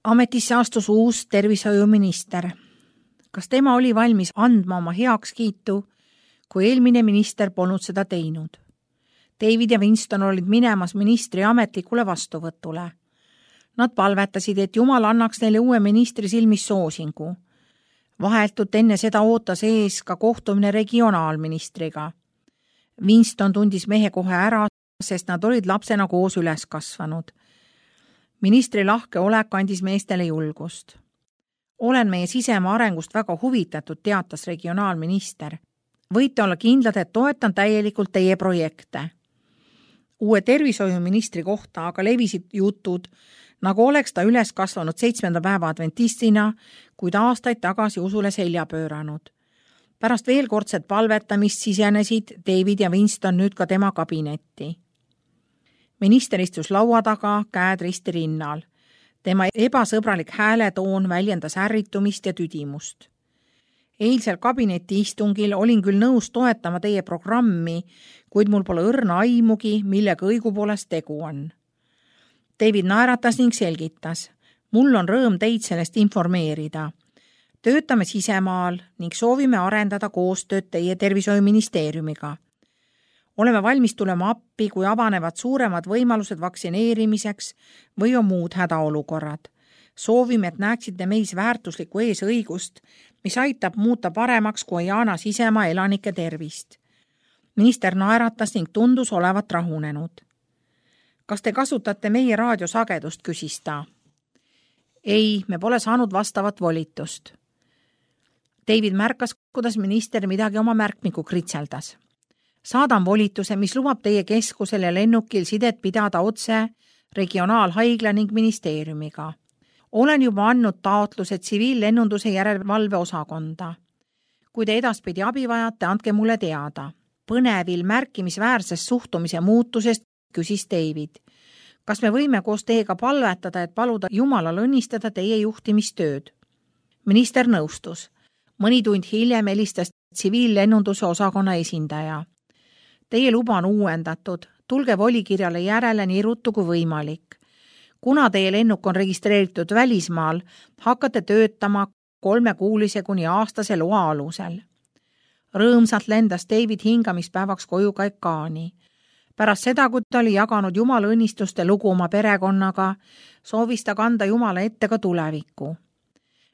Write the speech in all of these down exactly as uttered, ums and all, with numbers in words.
Ametisse astus uus tervishoiuminister. Kas tema oli valmis andma oma heakskiitu, kui eelmine minister polnud seda teinud? David ja Winston olid minemas ministri ametlikule vastuvõtule. Nad palvetasid, et Jumal annaks neile uue ministri silmis soosingu. Vahetult enne seda ootas ees ka kohtumine regionaalministriga. Winston tundis mehe kohe ära, sest nad olid lapsena koos üles kasvanud. Ministri lahke olek andis meestele julgust. Olen meie sisemaa arengust väga huvitatud, teatas regionaalminister. Võite olla kindlad, et toetan täielikult teie projekte. Uue tervishoiuministri kohta aga levisid jutud, nagu oleks ta üles kasvanud seitsmenda päeva adventistina, kuid aastaid tagasi usule selja pööranud. Pärast veelkordset palvetamist sisenesid David ja Winston nüüd ka tema kabinetti. Minister istus laua taga, käed risti rinnal. Tema ebasõbralik hääletoon väljendas ärritumist ja tüdimust. Eilsel kabineti istungil olin küll nõus toetama teie programmi, kuid mul pole õrna aimugi, millega õigupoolest tegu on. David naeratas ning selgitas. Mul on rõõm teid sellest informeerida. Töötame sisemaal ning soovime arendada koostööd teie tervishoiuministeeriumiga. Oleme valmis tulema appi, kui avanevad suuremad võimalused vaktsineerimiseks või on muud hädaolukorrad. Soovime, et näeksite meis väärtuslikku eesõigust, mis aitab muuta paremaks Guyana sisemaa elanike tervist. Minister naeratas ning tundus olevat rahunenud. Kas te kasutate meie raadiosagedust, küsis ta. Ei, me pole saanud vastavat volitust. David märkas, kuidas minister midagi oma märkmiku kritseldas. Saadan volituse, mis lubab teie keskusel ja lennukil sidet pidada otse regionaalhaigla ning ministeeriumiga. Olen juba andnud taotluse tsiviillennunduse järelevalve osakonda. Kui te edaspidi abi vajate, andke mulle teada. Põnevil märkimisväärsest suhtumise muutusest küsis David. Kas me võime koos teiega palvetada, et paluda Jumalal õnnistada teie juhtimistööd? Minister nõustus. Mõni tund hiljem helistas tsiviillennunduse osakonna esindaja. Teie luba on uuendatud. Tulge volikirjale järele nii ruttu kui võimalik. Kuna teie lennuk on registreeritud välismaal, hakkate töötama kolmekuulise kuni aastase loa alusel. Rõõmsalt lendas David hingamispäevaks koju Kaikaani. Pärast seda, kui ta oli jaganud Jumala õnnistuste lugu oma perekonnaga, soovis ta kanda Jumala ette ka tulevikku.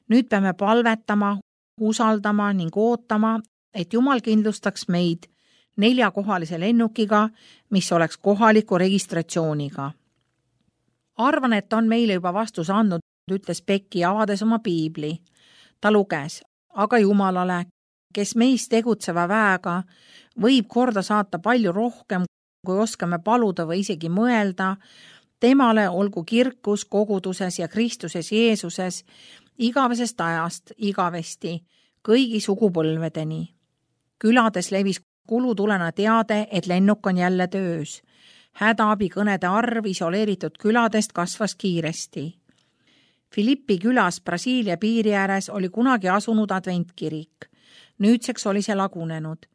Nüüd peame palvetama, usaldama ning ootama, et Jumal kindlustaks meid neljakohalise lennukiga, mis oleks kohaliku registratsiooniga. Arvan, et on meile juba vastus andnud, ütles Becky avades oma piibli. Ta luges, aga Jumalale, kes meis tegutseva väega, võib korda saata palju rohkem, kui oskame paluda või isegi mõelda, temale olgu kirkus koguduses ja Kristuses Jeesuses igavesest ajast igavesti, kõigi sugupõlvedeni. Külades levis kulutulena teade, et lennuk on jälle töös. Hädaabikõnede arv isoleeritud küladest kasvas kiiresti. Filippi külas Brasiilia piiri ääres oli kunagi asunud adventkirik. Nüüdseks oli see lagunenud.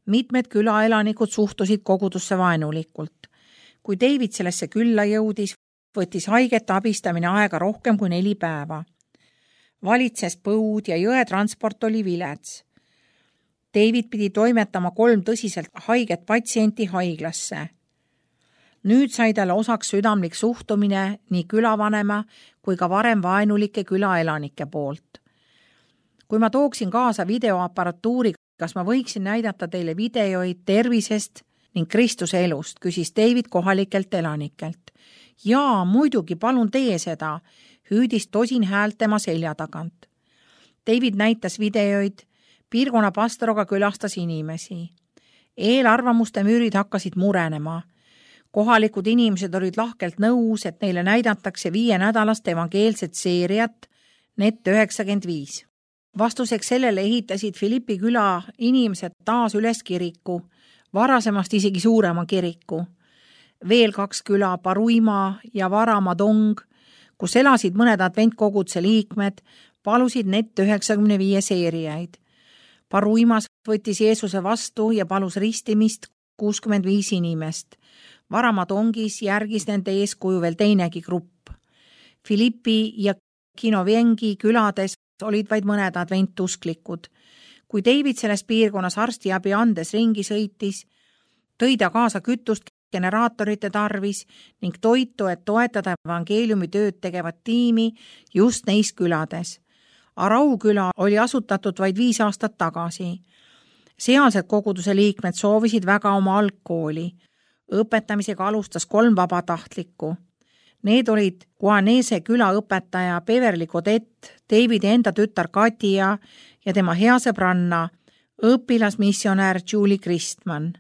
Mitmed külaelanikud suhtusid kogudusse vaenulikult. Kui David sellesse külla jõudis, võttis haigete abistamine aega rohkem kui neli päeva. Valitses põud ja jõetransport oli vilets. David pidi toimetama kolm tõsiselt haiget patsienti haiglasse. Nüüd sai talle osaks südamlik suhtumine nii külavanema kui ka varem vaenulike külaelanike poolt. Kui ma tooksin kaasa videoaparatuuri, kas ma võiksin näidata teile videoid tervisest ning Kristuse elust, küsis David kohalikelt elanikelt. Jaa, muidugi, palun tee seda, hüüdis tosin häält tema selja tagant. David näitas videoid, piirkonna pastoroga külastas inimesi. Eelarvamuste müürid hakkasid murenema. Kohalikud inimesed olid lahkelt nõus, et neile näidatakse viie nädalast evangeelset seeriat Net üheksakümmend viis. Vastuseks sellele ehitasid Filippi küla inimesed taas üles kiriku, varasemast isegi suurema kiriku. Veel kaks küla, Paruima ja Varamadong, kus elasid mõned adventkoguduse liikmed, palusid Net üheksakümne viie seeriaid. Paruimas võttis Jeesuse vastu ja palus ristimist kuuskümmend viis inimest. Varamadongis järgis nende eeskuju veel teinegi grupp. Filippi ja Kinovengi külades olid vaid mõned adventusklikud. Kui David selles piirkonnas arstiabi andes ringi sõitis, tõi ta kaasa kütust generaatorite tarvis ning toitu, et toetada evangeeliumi tööd tegevat tiimi just neis külades. Arau küla oli asutatud vaid viis aastat tagasi. Sealsed koguduse liikmed soovisid väga oma algkooli. Õpetamisega alustas kolm vabatahtlikku. Need olid Guanese küla õpetaja Beverly Godet, Davidi enda tütar Katia ja tema hea sõbranna, õpilasmissionär Julie Christman.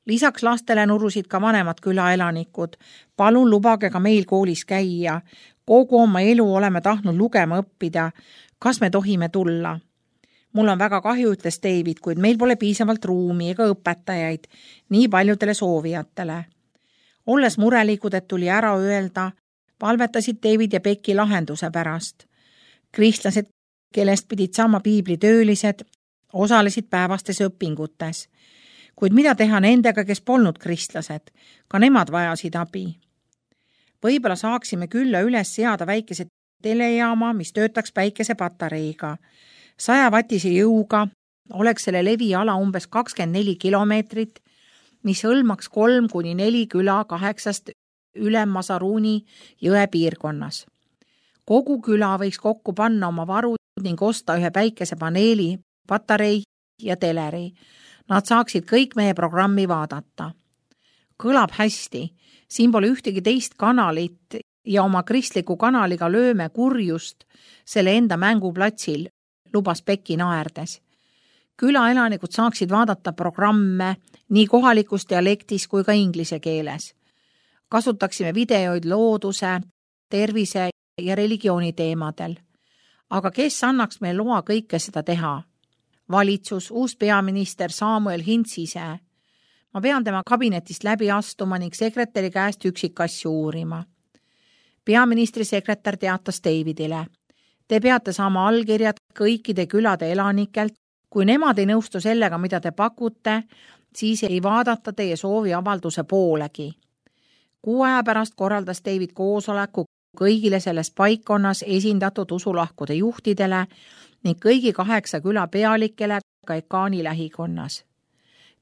Lisaks lastele nurusid ka vanemad külaelanikud. Palun lubage ka meil koolis käia. Kogu oma elu oleme tahtnud lugema õppida. Kas me tohime tulla? Mul on väga kahju, ütles David, kuid meil pole piisavalt ruumi ega õpetajaid nii paljudele soovijatele. Olles murelikud, et tuli ära öelda, palvetasid David ja Becky lahenduse pärast. Kristlased, kellest pidid saama piiblitöölised, osalesid päevastes õpingutes. Kuid mida teha nendega, kes polnud kristlased? Ka nemad vajasid abi. Võib-olla saaksime külla üles seada väikese telejaama, mis töötaks päikesepatareiga. Sajavatise jõuga oleks selle leviala umbes kakskümmend neli kilomeetrit, mis hõlmaks kolm kuni neli küla kaheksast Ülem-Masaruuni jõe piirkonnas. Kogu küla võiks kokku panna oma varud ning osta ühe päikesepaneeli, patarei ja teleri. Nad saaksid kõik meie programmi vaadata. Kõlab hästi, siin pole ühtegi teist kanalit ja oma kristliku kanaliga lööme kurjust selle enda mänguplatsil, lubas Becky naerdes. Külaelanikud saaksid vaadata programme nii kohalikus dialektis kui ka inglise keeles. Kasutaksime videoid looduse, tervise ja religiooni teemadel. Aga kes annaks meil loa kõike seda teha? Valitsus, uus peaminister Samuel Hintz ise. Ma pean tema kabinetist läbi astuma ning sekretäri käest üksikasju uurima. Peaministri sekretär teatas Davidile. Te peate saama allkirjad kõikide külade elanikelt. Kui nemad ei nõustu sellega, mida te pakute, siis ei vaadata teie soovi avalduse poolegi. Kuu aja pärast korraldas David koosoleku kõigile selles paikkonnas esindatud usulahkude juhtidele ning kõigi kaheksa küla pealikele Kaikaani lähikonnas.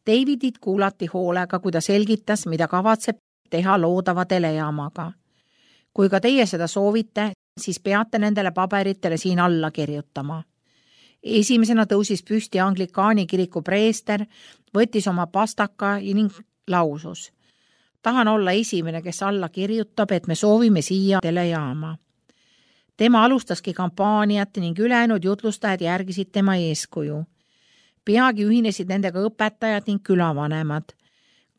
Davidit kuulati hoolega, kui ta selgitas, mida kavatseb teha loodava telejaamaga. Kui ka teie seda soovite, siis peate nendele paberitele siin alla kirjutama. Esimesena tõusis püsti Anglikaani kiriku preester, võttis oma pastaka ning lausus. Tahan olla esimene, kes alla kirjutab, et me soovime siia telejaama. Tema alustaski kampaaniat ning ülejäänud jutlustajad järgisid tema eeskuju. Peagi ühinesid nendega õpetajad ning külavanemad.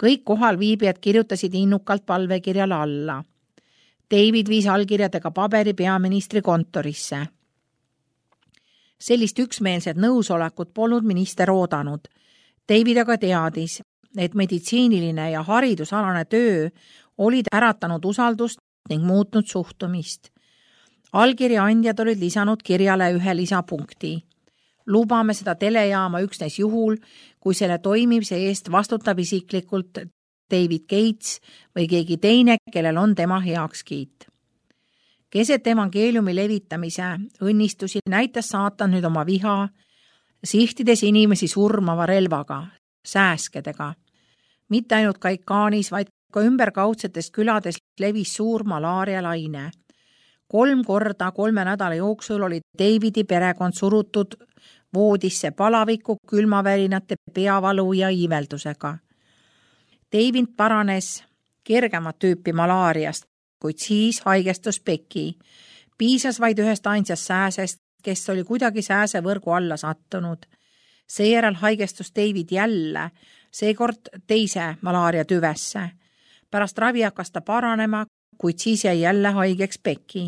Kõik kohal viibijad kirjutasid innukalt palvekirjale alla. David viis allkirjadega paberi peaministri kontorisse. Sellist üksmeelset nõusolekut polnud minister oodanud. David aga teadis, et meditsiiniline ja haridusalane töö olid äratanud usaldust ning muutnud suhtumist. Allkirja andjad olid lisanud kirjale ühe lisapunkti. Lubame seda telejaama üksnes juhul, kui selle toimimise eest vastutab isiklikult David Gates või keegi teine, kellel on tema heakskiit. Keset evangeeliumi levitamise õnnistusi näitas saatan nüüd oma viha, sihtides inimesi surmava relvaga, sääskedega. Mitte ainult Kaikaanis, vaid ka ümberkaudsetes külades levis suur malaarialaine. Kolm korda kolme nädala jooksul oli Davidi perekond surutud voodisse palaviku, külmavärinate, peavalu ja iiveldusega. David paranes kergemat tüüpi malaariast, kuid siis haigestus Becky. Piisas vaid ühest ainsast sääsest, kes oli kuidagi sääsevõrgu alla sattunud. Seejärel haigestus David jälle, seekord teise malaaria tüvesse. Pärast ravi hakkas ta paranema, kuid siis jäi jälle haigeks Becky.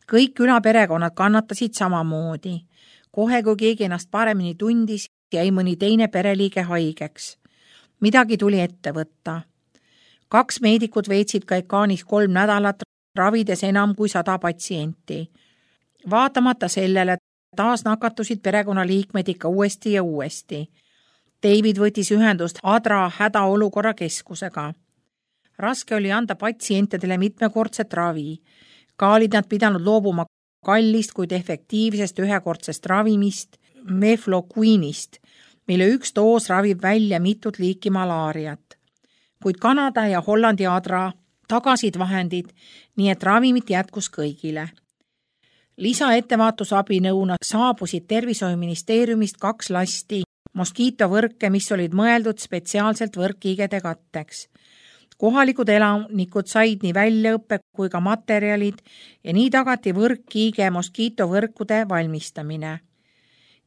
Kõik külaperekonnad kannatasid samamoodi. Kohe, kui keegi ennast paremini tundis, jäi mõni teine pereliige haigeks. Midagi tuli ette võtta. Kaks meedikut veetsid Kaikaanis kolm nädalat, ravides enam kui sada patsienti. Vaatamata sellele taas nakatusid perekonnaliikmed ikka uuesti ja uuesti. David võttis ühendust Adra hädaolukorra keskusega. Raske oli anda patsientidele mitmekordset ravi. Ka olid nad pidanud loobuma kallist, kuid efektiivsest ühekordsest ravimist Mefloquinist, mille üks doos ravib välja mitut liiki malaariat. Kuid Kanada ja Hollandi adra tagasid vahendid, nii et ravimit jätkus kõigile. Lisaettevaatusabinõuna saabusid tervishoiuministeeriumist kaks lasti moskiitovõrke, mis olid mõeldud spetsiaalselt võrkkiigede katteks. Kohalikud elanikud said nii väljaõppe kui ka materjalid ja nii tagati võrkkiige moskiitovõrkude valmistamine.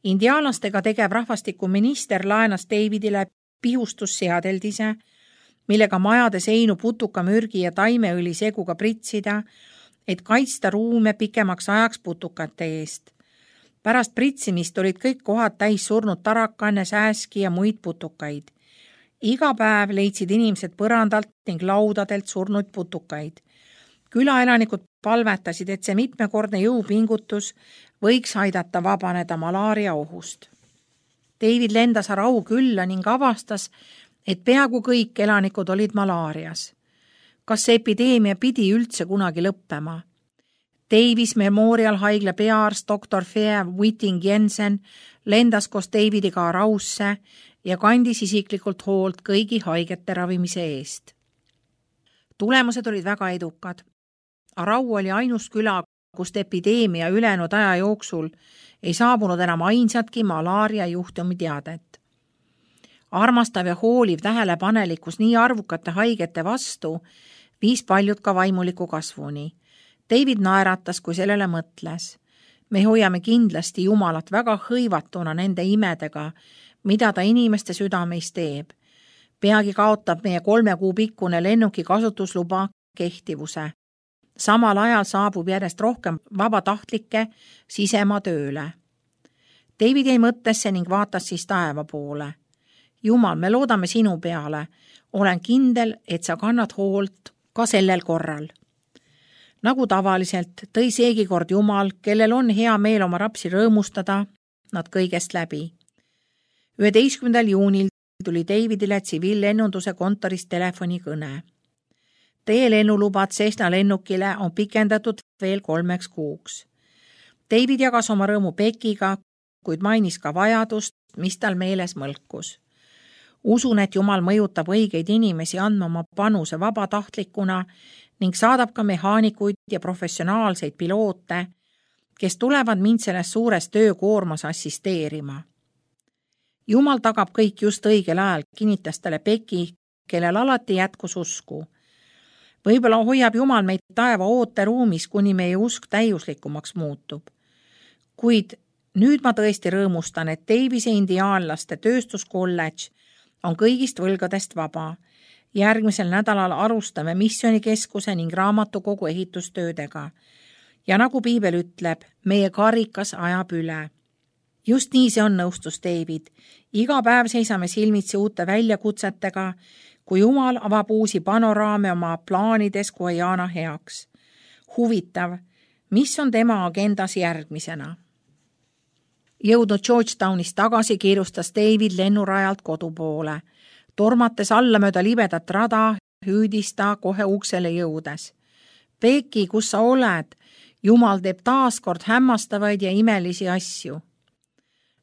Indiaalastega tegev rahvastikuminister laenas Davidile pihustusseadeldise, millega majade seinu putukamürgi ja taimeõli seguga pritsida, et kaitsta ruume pikemaks ajaks putukate eest. Pärast pritsimist olid kõik kohad täis surnud tarakanne, sääski ja muid putukaid. Iga päev leidsid inimesed põrandalt ning laudadelt surnud putukaid. Külaelanikud palvetasid, et see mitmekordne jõupingutus võiks aidata vabaneda malaaria ohust. David lendas Arau külla ning avastas, et peaaegu kõik elanikud olid malaarias. Kas see epideemia pidi üldse kunagi lõppema? Davis Memorial haigla peaarst doktor Fea Whiting Jensen lendas koos Davidiga Arausse ja kandis isiklikult hoolt kõigi haigete ravimise eest. Tulemused olid väga edukad. Arau oli ainus küla, kust epideemia ülejäänud aja jooksul ei saabunud enam ainsatki malaaria juhtumi teadet. Armastav ja hooliv tähelepanelikkus nii arvukate haigete vastu viis paljud ka vaimuliku kasvuni. David naeratas, kui sellele mõtles. Me hoiame kindlasti Jumalat väga hõivatuna nende imedega, mida ta inimeste südameis teeb. Peagi kaotab meie kolme kuu pikkune lennuki kasutusluba kehtivuse. Samal ajal saabub järjest rohkem vabatahtlikke sisemaa tööle. David jäi mõttesse ning vaatas siis taeva poole. Jumal, me loodame sinu peale. Olen kindel, et sa kannad hoolt ka sellel korral. Nagu tavaliselt tõi seegi kord Jumal, kellel on hea meel oma rapsi rõõmustada, nad kõigest läbi. üheteistkümnendal juunil tuli Davidile tsiviillennunduse kontorist telefonikõne. Teie lennulubad Cessna lennukile on pikendatud veel kolmeks kuuks. David jagas oma rõõmu Beckiga, kuid mainis ka vajadust, mis tal meeles mõlkus. Usun, et Jumal mõjutab õigeid inimesi andma oma panuse vabatahtlikuna ning saadab ka mehaanikuid ja professionaalseid piloote, kes tulevad mind selles suures töökoormas assisteerima. Jumal tagab kõik just õigel ajal, kinnitas talle Becki, kellel alati jätkus usku. Võib-olla hoiab Jumal meid taeva ooteruumis, kuni meie usk täiuslikumaks muutub. Kuid nüüd ma tõesti rõõmustan, et Davise indiaanlaste tööstuskolledž on kõigist võlgadest vaba. Järgmisel nädalal alustame missioonikeskuse ning raamatukogu ehitustöödega. Ja nagu piibel ütleb, meie karikas ajab üle. Just nii see on, nõustus David. Iga päev seisame silmitsi uute väljakutsetega, kui Jumal avab uusi panoraame oma plaanides Guyana heaks. Huvitav, mis on tema agendas järgmisena? Jõudnud Georgetownist tagasi kiirustas David lennurajalt kodu poole. Tormates alla mööda libedat rada, hüüdis ta kohe uksele jõudes. Becki, kus sa oled? Jumal teeb taaskord hämmastavaid ja imelisi asju.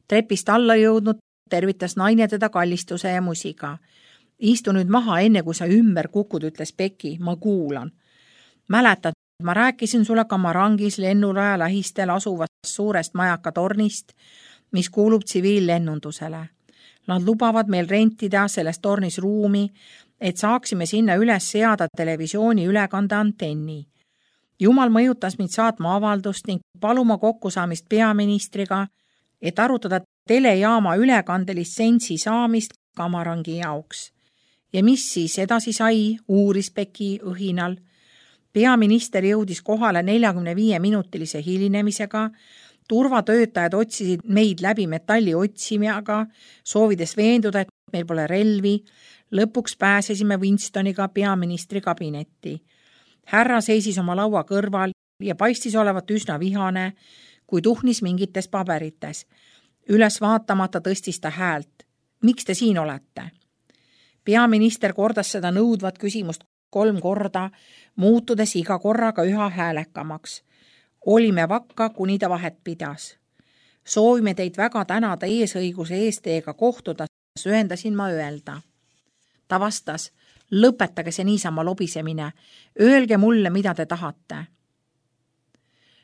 Trepist alla jõudnud tervitas naine teda kallistuse ja musiga. Istu nüüd maha, enne kui sa ümber kukud, ütles Becki, ma kuulan. Mäletad, ma rääkisin sulle Kamarangis lennuraja lähistel asuvast suurest majakatornist, mis kuulub tsiviillennundusele. Nad lubavad meil rentida selles tornis ruumi, et saaksime sinna üles seada televisiooni ülekande antenni. Jumal mõjutas mind saatma avaldust ning paluma kokkusaamist peaministriga, et arutada telejaama ülekandelitsentsi saamist Kamarangi jaoks. Ja mis siis edasi sai, uuris Becki õhinal. Peaminister jõudis kohale neljakümne viie minutilise hilinemisega, turvatöötajad otsisid meid läbi metalli otsimiaga, soovides veenduda, et meil pole relvi. Lõpuks pääsesime Winstoniga peaministri kabinetti. Härra seisis oma laua kõrval ja paistis olevat üsna vihane, kui tuhnis mingites paberites. Üles vaatamata tõstis ta häält. Miks te siin olete? Peaminister kordas seda nõudvat küsimust kolm korda, muutudes iga korraga üha häälekamaks. olime vakka, kuni ta vahet pidas. Soovime teid väga tänada eesõiguse eest teiega kohtuda, söendasin ma öelda. Ta vastas, lõpetage see niisama lobisemine, öelge mulle, mida te tahate.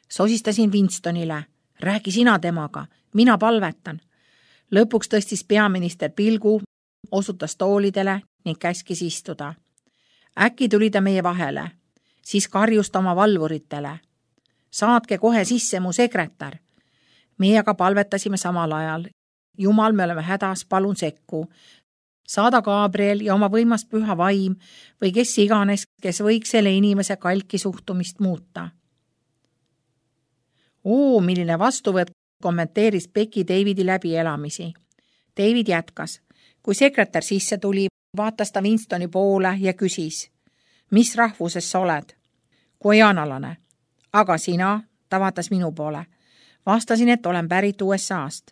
Sosistasin Winstonile, räägi sina temaga, mina palvetan. Lõpuks tõstis peaminister pilgu, osutas toolidele ning käskis istuda. Äkki tuli ta meie vahele, siis karjus ta oma valvuritele. Saatke kohe sisse mu sekretär. Meie aga palvetasime samal ajal. Jumal, me oleme hädas, palun sekku. Saada Gabriel ja oma võimas püha vaim või kes iganes, kes võiks selle inimese kalki suhtumist muuta. Oo, milline vastuvõtt, kommenteeris Becky Davidi läbielamisi. David jätkas. Kui sekretär sisse tuli, vaatas ta Winstoni poole ja küsis, mis rahvuses sa oled? Guajanalane. Aga sina, ta vaatas minu poole. Vastasin, et olen pärit U S A-st.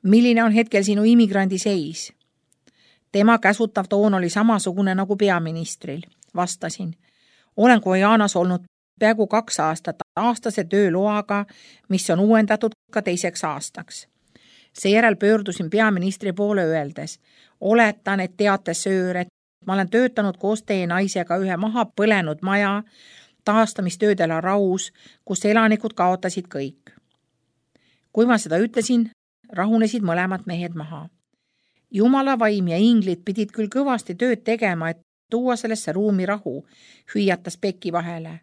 Milline on hetkel sinu immigrandi seis? Tema käsutav toon oli samasugune nagu peaministril. Vastasin. Olen Guajanas olnud peaaegu kaks aastat aastase tööloaga, mis on uuendatud ka teiseks aastaks. Seejärel pöördusin peaministri poole öeldes. Oletan, et teate söör, et ma olen töötanud koos teie naisega ühe maha põlenud maja taastamistöödele Raus, kus elanikud kaotasid kõik. Kui ma seda ütlesin, rahunesid mõlemad mehed maha. Jumala vaim ja inglid pidid küll kõvasti tööd tegema, et tuua sellesse ruumi rahu, hüüatas Becky vahele.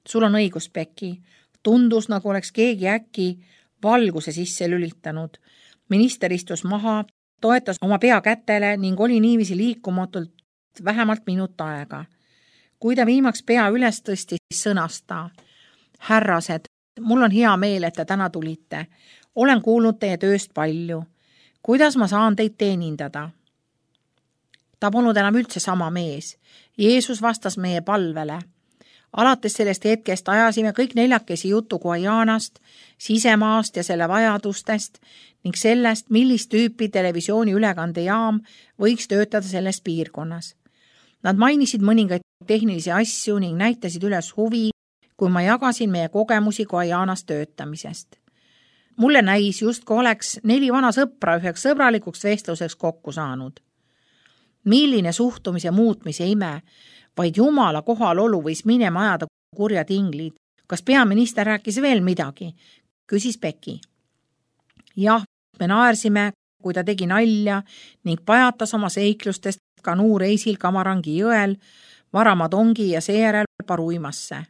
Sul on õigus, Becky. Tundus, nagu oleks keegi äkki valguse sisse lülitanud. Minister istus maha, toetas oma pea kätele ning oli niiviisi liikumatult vähemalt minut aega. Kui ta viimaks pea üles tõstis, sõnas ta. Härrased, mul on hea meel, et te täna tulite. Olen kuulnud teie tööst palju. Kuidas ma saan teid teenindada? Ta polnud enam üldse sama mees. Jeesus vastas meie palvele. Alates sellest hetkest ajasime kõik neljakesi jutu Guajanast, sisemaast ja selle vajadustest ning sellest, millist tüüpi televisiooni ülekandejaam võiks töötada selles piirkonnas. Nad mainisid mõningaid tehnilisi asju ning näitasid üles huvi, kui ma jagasin meie kogemusi Guajanas töötamisest. Mulle näis justkui oleks neli vana sõpra üheks sõbralikuks vestluseks kokku saanud. Milline suhtumise muutmise ime, vaid Jumala kohalolu võis minema ajada kurjad inglid. Kas peaminister rääkis veel midagi? Küsis Becky. Jah, me naersime, kui ta tegi nalja ning pajatas oma seiklustest kanuureisil Kamarangi jõel, Varamadongi ja seejärel Paruimasse.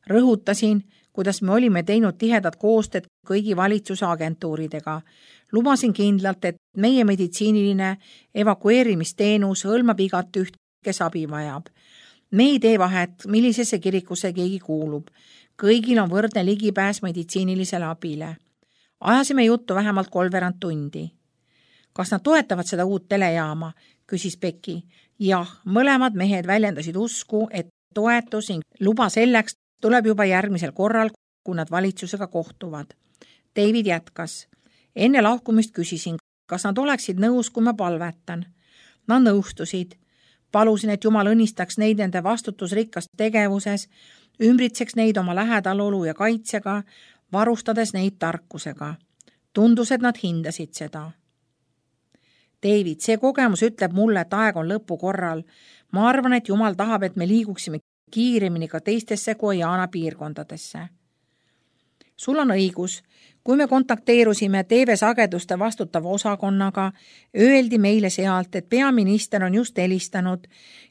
Rõhutasin, kuidas me olime teinud tihedat koostööd kõigi valitsuse agentuuridega. Lubasin kindlalt, et meie meditsiiniline evakueerimisteenus hõlmab igat üht, kes abi vajab. Me ei tee vahet, millisesse kirikusse keegi kuulub. Kõigil on võrdne ligipääs meditsiinilisele abile. Ajasime juttu vähemalt kolmveerand tundi. Kas nad toetavad seda uut telejaama? Küsis Becky. Jah, mõlemad mehed väljendasid usku, et toetus ning luba selleks tuleb juba järgmisel korral, kui nad valitsusega kohtuvad. David jätkas. Enne lahkumist küsisin, kas nad oleksid nõus, kui ma palvetan. Nad nõustusid. Palusin, et Jumal õnnistaks neid nende vastutusrikkas tegevuses, ümbritseks neid oma lähedalolu ja kaitsega, varustades neid tarkusega. Tundus, et nad hindasid seda. David, see kogemus ütleb mulle, et aeg on lõpu korral. Ma arvan, et Jumal tahab, et me liiguksime kiiremini ka teistesse Guajana piirkondadesse. Sul on õigus. Kui me kontakteerusime T V-sageduste vastutava osakonnaga, öeldi meile sealt, et peaminister on just helistanud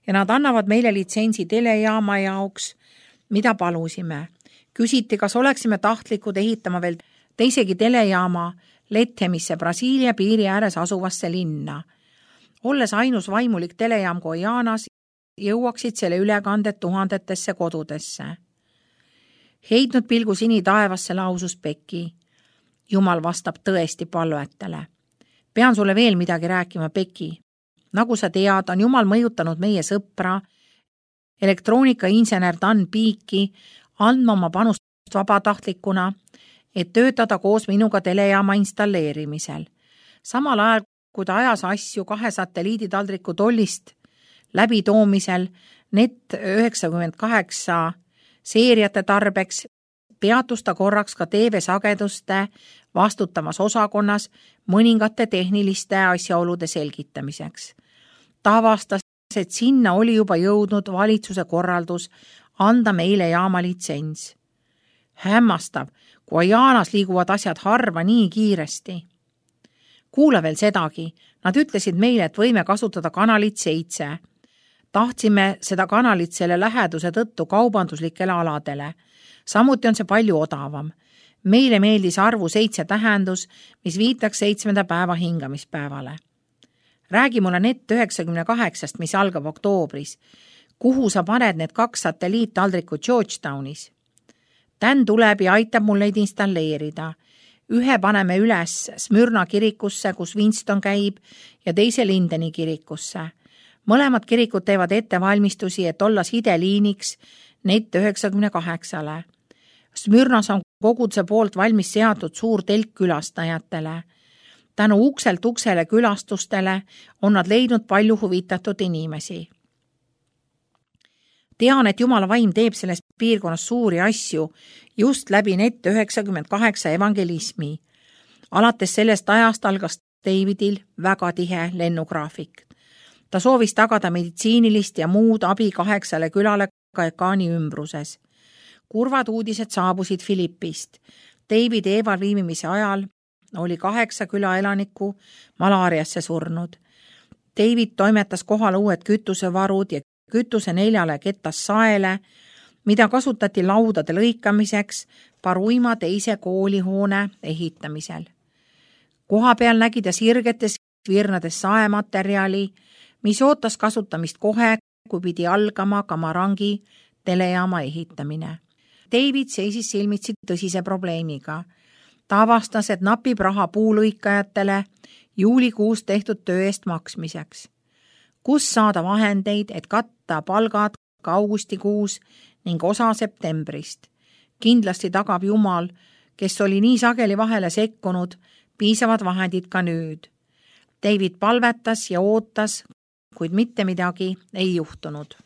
ja nad annavad meile litsentsi telejaama jaoks, mida palusime. Küsiti, kas oleksime tahtlikud ehitama veel teisegi telejaama Lethemisse, Brasiilia piiri ääres asuvasse linna. Olles ainus vaimulik telejaam Guajanas, jõuaksid selle ülekanded tuhandetesse kodudesse. Heidnud pilgu sini taevasse lausus Becky. Jumal vastab tõesti palvetele. Pean sulle veel midagi rääkima, Becky. Nagu sa tead, on Jumal mõjutanud meie sõpra, elektroonikainsener Dan Peaki, andma oma panust vabatahtlikuna, et töötada koos minuga telejaama installeerimisel. Samal ajal, kui ta ajas asju kahe satelliiditaldriku tollist läbitoomisel Net üheksakümmend kaheksa seeriate tarbeks, peatus ta korraks ka T V-sageduste vastutamas osakonnas mõningate tehniliste asjaolude selgitamiseks. Ta avastas, et sinna oli juba jõudnud valitsuse korraldus anda meile jaama litsents. Hämmastav, kui Jaanas liiguvad asjad harva nii kiiresti. Kuula veel sedagi, nad ütlesid meile, et võime kasutada kanalit seitse. Tahtsime seda kanalit selle läheduse tõttu kaubanduslikele aladele. Samuti on see palju odavam. Meile meeldis arvu seitse tähendus, mis viitaks seitsmenda päeva hingamispäevale. Räägi mulle net üheksakümne kaheksast, mis algab oktoobris. Kuhu sa paned need kaks satelliittaldrikut Georgetownis? Dan tuleb ja aitab mul neid installeerida. Ühe paneme üles Smyrna kirikusse, kus Winston käib, ja teise Lindeni kirikusse. Mõlemad kirikud teevad ettevalmistusi, et olla sideliiniks net üheksakümne kaheksale. Smyrnas on koguduse poolt valmis seatud suur telk külastajatele. Tänu ukselt uksele külastustele on nad leidnud palju huvitatud inimesi. Tean, et Jumala vaim teeb selles piirkonnas suuri asju just läbi net üheksakümmend kaheksa evangelismi. Alates sellest ajast algas Davidil väga tihe lennugraafik. Ta soovis tagada meditsiinilist ja muud abi kaheksale külale Kaekaani ümbruses. Kurvad uudised saabusid Filippist. David Eeval viimimise ajal oli kaheksa küla elanikku malaariasse surnud. David toimetas kohale uued kütusevarud ja kütuse neljale kettas saele, mida kasutati laudade lõikamiseks Paruima teise koolihoone ehitamisel. Koha peal nägi ta sirgetes virnades saematerjali, mis ootas kasutamist kohe, kui pidi algama Kamarangi telejaama ehitamine. David seisis silmitsi tõsise probleemiga. Ta avastas, et napib raha puulõikajatele juulikuus tehtud töö eest maksmiseks. Kus saada vahendeid, et katta palgad ka augustikuus ning osa septembrist? Kindlasti tagab Jumal, kes oli nii sageli vahele sekkunud, piisavad vahendid ka nüüd. David palvetas ja ootas, kuid mitte midagi ei juhtunud.